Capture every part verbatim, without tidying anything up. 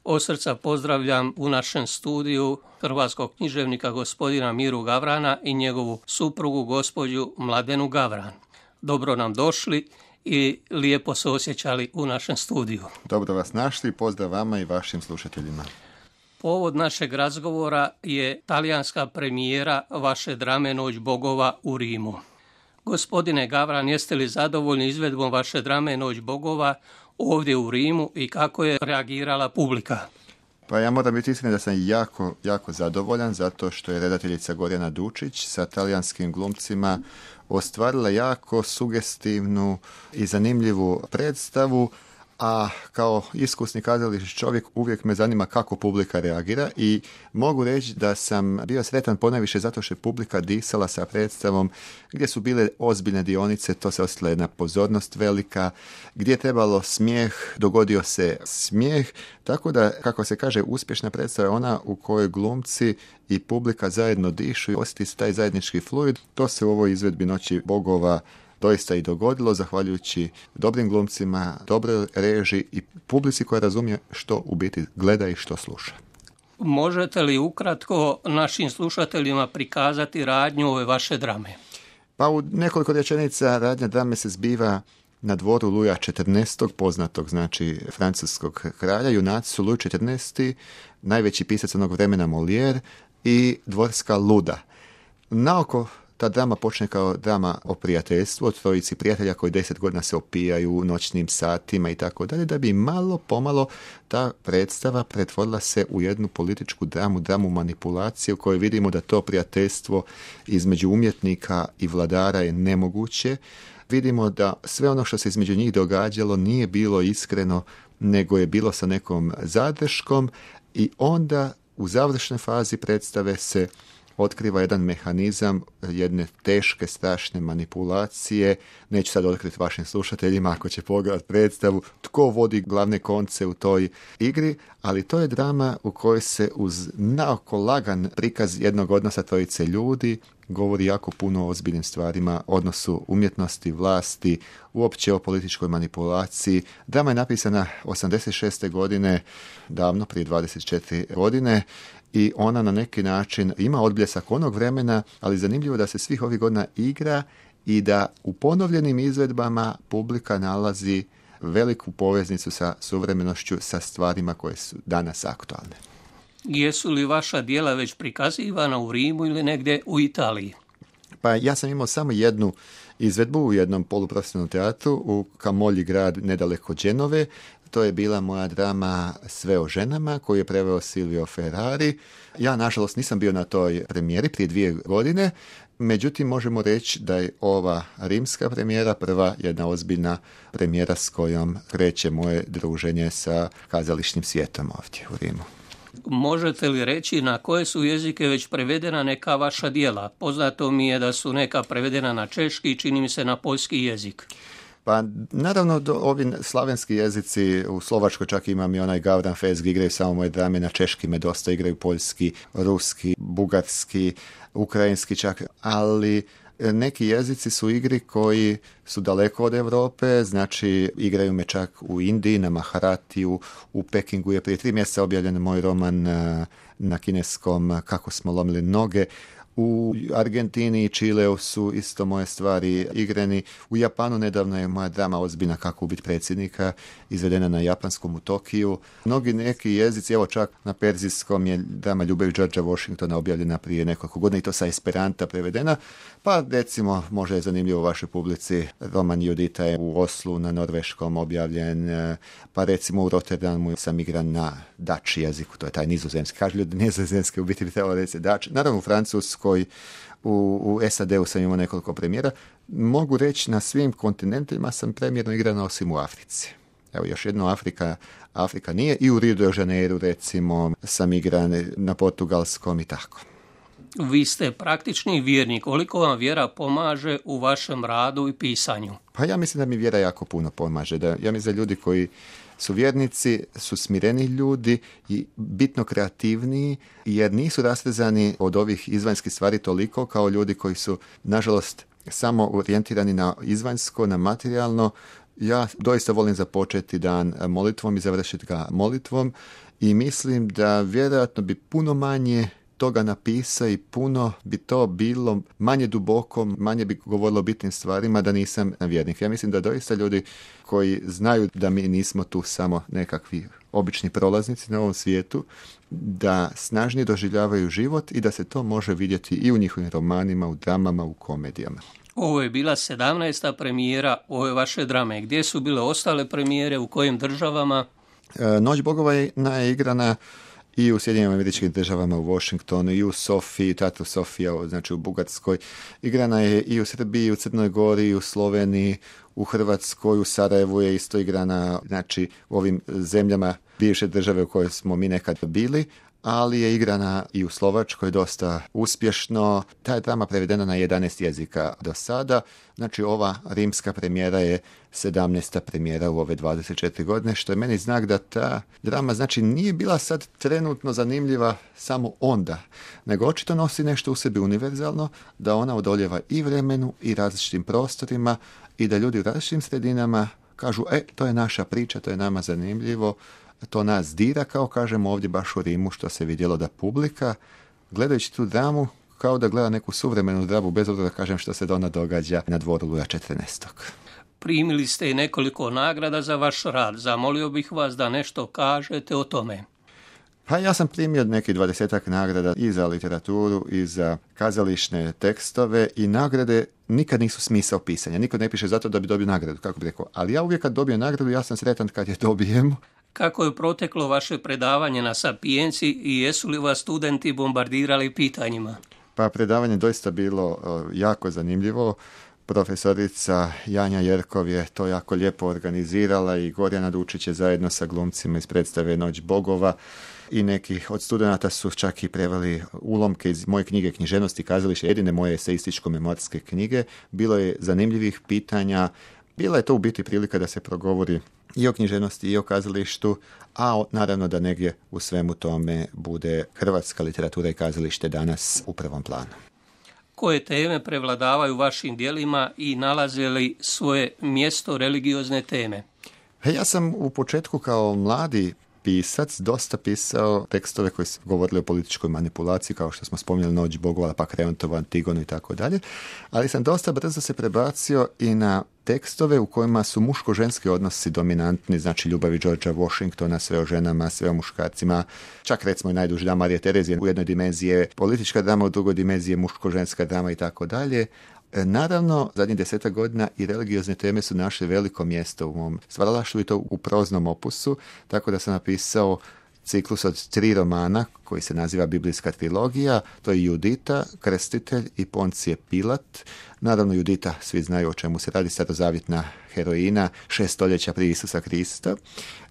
Od srca pozdravljam u našem studiju hrvatskog književnika gospodina Miru Gavrana i njegovu suprugu gospođu Mladenu Gavran. Dobro nam došli i lijepo se osjećali u našem studiju. Dobro vas našli, pozdrav vama i vašim slušateljima. Povod našeg razgovora je talijanska premijera vaše drame Noć bogova u Rimu. Gospodine Gavran, jeste li zadovoljni izvedbom vaše drame Noć bogova ovdje u Rimu i kako je reagirala publika? Pa ja moram biti iskren da sam jako, jako zadovoljan zato što je redateljica Gorjana Dučić sa talijanskim glumcima ostvarila jako sugestivnu i zanimljivu predstavu, a kao iskusni kazališni čovjek uvijek me zanima kako publika reagira i mogu reći da sam bio sretan ponajviše zato što je publika disala sa predstavom gdje su bile ozbiljne dionice, to se osjetila jedna pozornost velika, gdje je trebalo smijeh, dogodio se smijeh, tako da, kako se kaže, uspješna predstava je ona u kojoj glumci i publika zajedno dišu i osjeti se taj zajednički fluid. To se u ovoj izvedbi Noći bogova doista i dogodilo, zahvaljujući dobrim glumcima, dobroj režiji i publici koja razumije što u biti gleda i što sluša. Možete li ukratko našim slušateljima prikazati radnju ove vaše drame? Pa u nekoliko rečenica radnja drame se zbiva na dvoru Luja četrnaestog, poznatog znači francuskog kralja. Junaci su Luj četrnaesti, najveći pisac onog vremena Molière i dvorska luda. Naoko ta drama počne kao drama o prijateljstvu, o trojici prijatelja koji deset godina se opijaju u noćnim satima i tako dalje, da bi malo pomalo ta predstava pretvorila se u jednu političku dramu, dramu manipulacije u kojoj vidimo da to prijateljstvo između umjetnika i vladara je nemoguće. Vidimo da sve ono što se između njih događalo nije bilo iskreno, nego je bilo sa nekom zadrškom i onda u završnoj fazi predstave se otkriva jedan mehanizam jedne teške, strašne manipulacije. Neću sad otkriti vašim slušateljima ako će pogledati predstavu tko vodi glavne konce u toj igri, ali to je drama u kojoj se uz naoko lagan prikaz jednog odnosa trojice ljudi govori jako puno o ozbiljnim stvarima, odnosu umjetnosti, vlasti, uopće o političkoj manipulaciji. Drama je napisana osamdeset šeste godine, davno, prije dvadeset četiri godine, i ona na neki način ima odbljesak onog vremena, ali zanimljivo da se svih ovih godina igra i da u ponovljenim izvedbama publika nalazi veliku poveznicu sa suvremenošću, sa stvarima koje su danas aktualne. Jesu li vaša djela već prikazivana u Rimu ili negdje u Italiji? Pa ja sam imao samo jednu izvedbu u jednom poluprofesionalnom teatru u Camogli, grad nedaleko Genove. To je bila moja drama Sve o ženama koju je preveo Silvio Ferrari. Ja, nažalost, nisam bio na toj premijeri prije dvije godine, međutim možemo reći da je ova rimska premijera prva jedna ozbiljna premijera s kojom kreće moje druženje sa kazališnim svijetom ovdje u Rimu. Možete li reći na koje su jezike već prevedena neka vaša djela? Poznato mi je da su neka prevedena na češki i čini mi se na poljski jezik. Pa naravno do, ovi slavenski jezici, u Slovačkoj čak imam i onaj Gavran Fest gdje igraju samo moje drame, na češki me dosta igraju, poljski, ruski, bugarski, ukrajinski čak, ali neki jezici su igri koji su daleko od Europe, znači igraju me čak u Indiji, na Maharatiju, u Pekingu je prije tri mjeseca objavljen moj roman na kineskom Kako smo lomili noge. U Argentini i Čileu su isto moje stvari igrani. U Japanu nedavno je moja drama Ozbiljna kako ubiti predsjednika izvedena na japanskom u Tokiju. Mnogi neki jezici, evo čak na perzijskom je drama Ljubav Georgea Washingtona objavljena prije nekoliko godina i to sa esperanta prevedena. Pa recimo, možda je zanimljivo u vašoj publici, roman Judita je u Oslu na norveškom objavljen, pa recimo u Rotterdamu sam igran na Dutch jeziku, to je taj nizozemski. Kažu ljudi nizozemski, u biti bi trebalo reći Dutch. Naravno u Francuskoj, u, u S A D-u sam imao nekoliko premijera. Mogu reći na svim kontinentima sam premijerno igrana osim u Africi. Evo još jedno, Afrika, Afrika nije, i u Rio de Janeiro recimo sam igran, na portugalskom i tako. Vi ste praktični vjernik. Koliko vam vjera pomaže u vašem radu i pisanju? Pa ja mislim da mi vjera jako puno pomaže. Da, ja mislim da ljudi koji su vjernici, su smireni ljudi i bitno kreativniji, jer nisu rastezani od ovih izvanjskih stvari toliko kao ljudi koji su, nažalost, samo orijentirani na izvanjsko, na materijalno. Ja doista volim započeti dan molitvom i završiti ga molitvom i mislim da vjerojatno bi puno manje toga napisa i puno bi to bilo manje duboko, manje bi govorilo o bitnim stvarima da nisam vjernik. Ja mislim da doista ljudi koji znaju da mi nismo tu samo nekakvi obični prolaznici na ovom svijetu, da snažnije doživljavaju život i da se to može vidjeti i u njihovim romanima, u dramama, u komedijama. Ovo je bila sedamnaesta premijera ove vaše drame. Gdje su bile ostale premijere, u kojim državama? E, Noć bogova je igrana i u Sjedinjenim Američkim Državama, u Washingtonu, i u Sofiji, Teatru Sofija, znači u Bugarskoj. Igrana je i u Srbiji, u Crnoj Gori, u Sloveniji, u Hrvatskoj, u Sarajevu je isto igrana, znači u ovim zemljama bivše države u kojoj smo mi nekad bili, ali je igrana i u Slovačkoj dosta uspješno. Ta je drama prevedena na jedanaest jezika do sada. Znači ova rimska premijera je sedamnaesta premijera u ove dvadeset četiri godine, što je meni znak da ta drama znači nije bila sad trenutno zanimljiva samo onda, nego očito nosi nešto u sebi univerzalno, da ona odoljeva i vremenu i različitim prostorima i da ljudi u različitim sredinama kažu, e, to je naša priča, to je nama zanimljivo, to nas dira, kao kažemo ovdje baš u Rimu, što se vidjelo da publika, gledajući tu dramu, kao da gleda neku suvremenu dramu, bez obzira da kažem što se da ona događa na dvoru Luja četrnaestog. Primili ste i nekoliko nagrada za vaš rad. Zamolio bih vas da nešto kažete o tome. Pa ja sam primio nekih dvadesetak nagrada i za literaturu i za kazališne tekstove i nagrade nikad nisu smisao pisanja. Niko ne piše zato da bi dobio nagradu, kako bi rekao. Ali ja uvijek kad dobijem nagradu, ja sam sretan kad je dobijem. Kako je proteklo vaše predavanje na Sapienci i jesu li vas studenti bombardirali pitanjima? Pa predavanje doista bilo jako zanimljivo. Profesorica Janja Jerkov je to jako lijepo organizirala i Gorjana Dučić je zajedno sa glumcima iz predstave Noć bogova i neki od studenata su čak i preveli ulomke iz moje knjige Književnost i kazalište, jedine moje eseističko-memorske knjige. Bilo je zanimljivih pitanja. Bila je to u biti prilika da se progovori i o književnosti i o kazalištu, a naravno da negdje u svemu tome bude hrvatska literatura i kazalište danas u prvom planu. Koje teme prevladavaju vašim djelima i nalaze li svoje mjesto religiozne teme? Ja sam u početku kao mladi pisac dosta pisao tekstove koji su govorili o političkoj manipulaciji, kao što smo spominjali Noć bogova, pa Kreontovu Antigonu i tako dalje, ali sam dosta brzo se prebacio i na tekstove u kojima su muško-ženski odnosi dominantni, znači Ljubavi Georgea Washingtona, sve o ženama, sve o muškarcima, čak recimo i najduži dan Marije Terezije u jednoj dimenziji je politička drama, u drugoj dimenziji je muško-ženska drama i tako dalje. Naravno, zadnjih desetak godina i religiozne teme su našle veliko mjesto u mom stvaralaštvu i to u proznom opusu, tako da sam napisao ciklus od tri romana koji se naziva Biblijska trilogija. To je Judita, Krstitelj i Poncije Pilat. Naravno, Judita, svi znaju o čemu se radi, starozavjetna heroina, šest stoljeća prije Isusa Krista,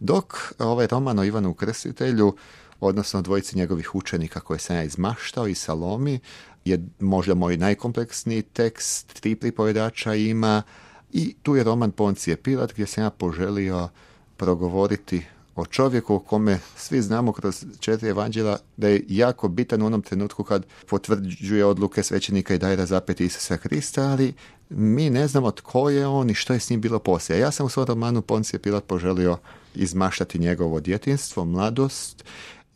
dok ovaj roman o Ivanu Krstitelju, odnosno dvojici njegovih učenika koje sam ja izmaštao i Salomi, je možda moj najkompleksniji tekst, tri pripovedača ima i tu je roman Poncije Pilat gdje sam ja poželio progovoriti o čovjeku o kome svi znamo kroz četiri evanđela da je jako bitan u onom trenutku kad potvrđuje odluke svećenika i daje razapeti Isusa Krista, ali mi ne znamo tko je on i što je s njim bilo poslije. Ja sam u svom romanu Poncije Pilat poželio izmaštati njegovo djetinjstvo, mladost,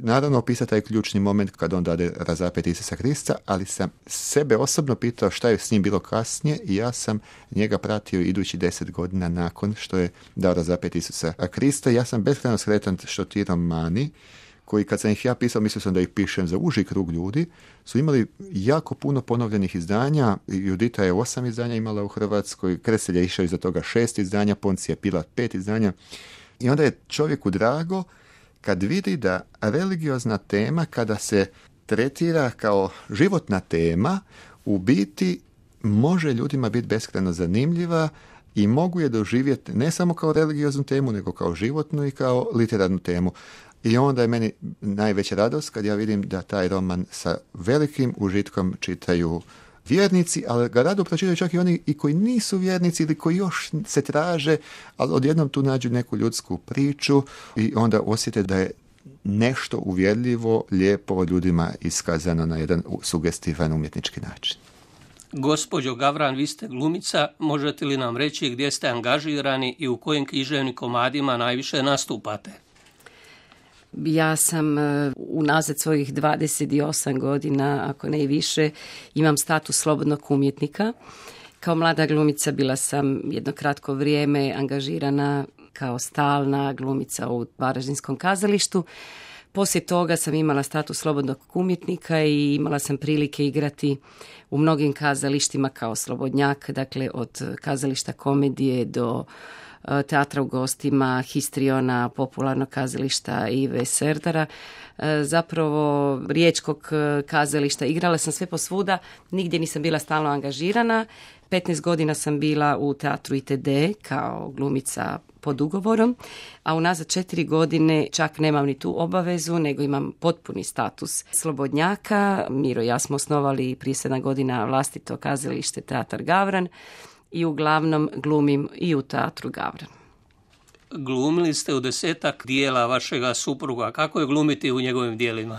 naravno opisati taj ključni moment kad on dade razapeti Isusa Krista, ali sam sebe osobno pitao šta je s njim bilo kasnije i ja sam njega pratio idući deset godina nakon što je dao razapeti Isusa Krista. Ja sam beskrajno sretan što ti romani, koji kad sam ih ja pisao, mislio sam da ih pišem za uži krug ljudi, su imali jako puno ponovljenih izdanja. Judita je osam izdanja imala u Hrvatskoj, Krstitelj je išao iza toga šest izdanja, Poncije Pilat pet izdanja. I onda je čovjeku drago kad vidi da religiozna tema, kada se tretira kao životna tema, u biti može ljudima biti beskrajno zanimljiva i mogu je doživjeti ne samo kao religioznu temu, nego kao životnu i kao literarnu temu. I onda je meni najveća radost kad ja vidim da taj roman sa velikim užitkom čitaju vjernici, ali ga rado pročitaju čak i oni i koji nisu vjernici ili koji još se traže, ali odjednom tu nađu neku ljudsku priču i onda osjete da je nešto uvjerljivo, lijepo ljudima iskazano na jedan sugestivan umjetnički način. Gospođo Gavran, vi ste glumica, možete li nam reći gdje ste angažirani i u kojim književnim komadima najviše nastupate? Ja sam unazad svojih dvadeset osam godina, ako ne i više, imam status slobodnog umjetnika. Kao mlada glumica bila sam jedno kratko vrijeme angažirana kao stalna glumica u Varaždinskom kazalištu. Poslije toga sam imala status slobodnog umjetnika i imala sam prilike igrati u mnogim kazalištima kao slobodnjak, dakle od kazališta komedije do teatra u gostima, histriona, popularnog kazališta Ive Serdara, zapravo riječkog kazališta. Igrala sam sve posvuda, nigdje nisam bila stalno angažirana. petnaest godina sam bila u teatru I T D kao glumica pod ugovorom, a unazad četiri godine čak nemam ni tu obavezu, nego imam potpuni status slobodnjaka. Miro i ja smo osnovali prije sedam godina vlastito kazalište Teatar Gavran i uglavnom glumim i u teatru Gavran. Glumili ste u desetak dijela vašega supruga. Kako je glumiti u njegovim dijelima?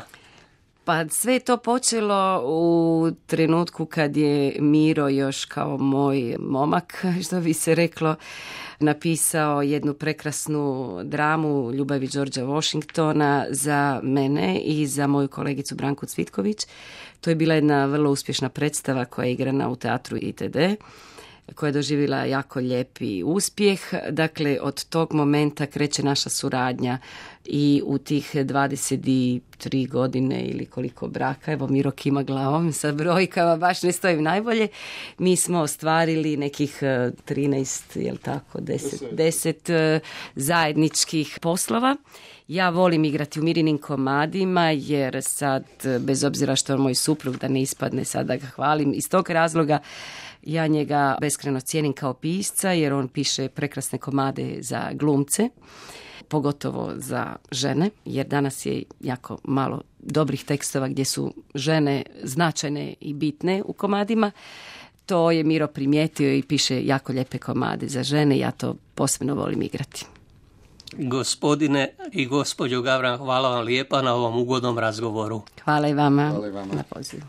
Pa sve je to počelo u trenutku kad je Miro još kao moj momak, što bi se reklo, napisao jednu prekrasnu dramu Ljubavi Đorđa Washingtona za mene i za moju kolegicu Branku Cvitković. To je bila jedna vrlo uspješna predstava koja je igrana u teatru I T D, koja je doživjela jako lijepi uspjeh. Dakle, od tog momenta kreće naša suradnja i u tih dvadeset tri godine ili koliko braka, evo Miro kima glavom, sa brojkama baš ne stojim najbolje, mi smo ostvarili nekih trinaest, jel tako, deset, deset zajedničkih poslova. Ja volim igrati u Mirinim komadima jer sad, bez obzira što je moj suprug, da ne ispadne sad da ga hvalim, iz tog razloga ja njega beskrajno cijenim kao pisca jer on piše prekrasne komade za glumce, pogotovo za žene, jer danas je jako malo dobrih tekstova gdje su žene značajne i bitne u komadima. To je Miro primijetio i piše jako lijepe komade za žene, ja to posebno volim igrati. Gospodine i gospođo Gavran, hvala vam lijepa na ovom ugodnom razgovoru. Hvala i vama, Hvala i vama. na pozivu.